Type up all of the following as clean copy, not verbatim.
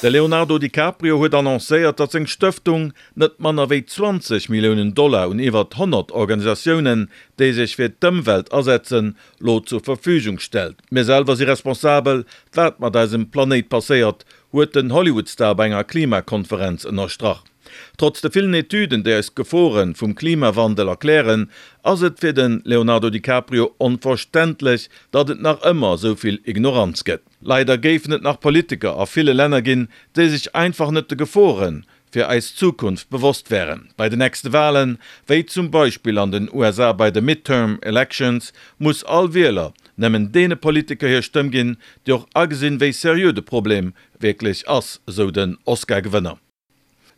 De Leonardo DiCaprio huet annoncéiert, datt seng Stëftung net manner wéi 20 Milliounen Dollar un iwwert 100 Organisatiounen, déi sech fir d'Ëmwelt asetzen, lo zur Verfügung stellt. Mir selwer si responsabel, wat mat eisem Planéit passéiert, huet den Hollywood-Star bei enger Klimakonferenz ënnerstrach. Trotz de villen Etüden, déi eis d'Gefore vum Klimawandel erklären, ass et fir de Leonardo DiCaprio onverständlech, datt et nach ëmmer esou vill Ignoranz gëtt. Leider géifen et nach Politiker a ville Länner ginn, déi sech einfach net de Gefore fir eis Zukunft bewosst wären. Bei de nächste Walen, wéi zum Beispill an den USA bei de Midterm Elections, muss all Wieler nëmmen deene Politiker hir Stëmm ginn, déi och agesinn, wéi seriö de Problem wierklech ass, esou den Oscar-Gewënner.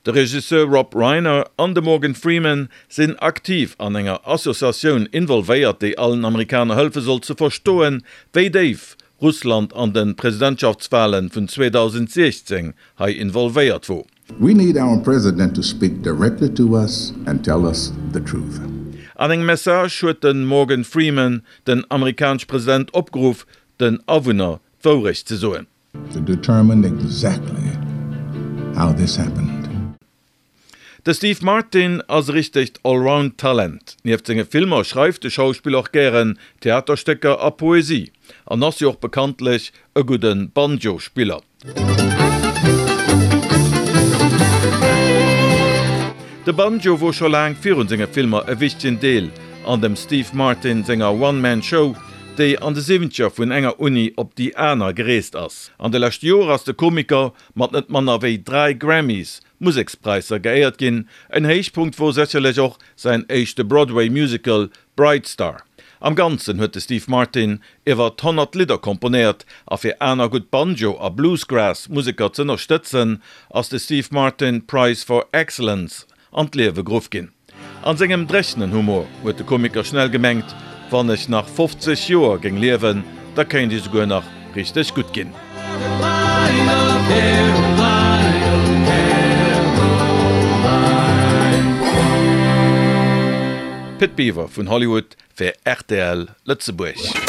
De Regisseur Rob Reiner an de Morgan Freeman sinn aktiv an enger Associatioun involvéiert, déi allen Amerikaner hëlfe soll ze verstoen, wéi déif Russland an de Presidentschaftswale vun 2016 hei involvéiert wor. We need our president to speak directly to us and tell us the truth. An engem Message huet de Morgan Freeman den amerikanesche President opgeruff, den Awunner d'Wourecht ze soen. To determine exactly how this happened. De Steve Martin ass e richtegt Allround-Talent. Nieft senge Filmer schreift de Schauspiller och gären Theaterstécker a Poesie an ass jo och bekanntlech e gudde Banjo-Spiller. De Banjo wor scho laang virun senge Filmer e wichtegen Deel an dem Steve Martin senger One-Man-Show, déi an de Siwwenzeger vun enger Uni op déi aner gereest ass. An de leschte Joer ass de Komiker mat net manner wéi 3 Grammys, Musekspräisser, geéiert ginn. En Héichpunkt wor sécherlech och säin éischte Broadway-Musical Bright Star. Am Ganzen huet de Steve Martin iwwer 100 Lidder komponéiert a fir aner gutt Banjo a Bluesgrass Museker z'ënnerstëtzen, ass de Steve Martin Prize for Excellence an d'Liewe geruff ginn. An sengem dréchenen Humor huet de Komiker schnell gemengt, wann ech nach 50 Joer géing liewen, da kéint ech esouguer nach richteg gutt ginn. Pit Biwer vun Hollywood fir rtl Lëtzebuerg.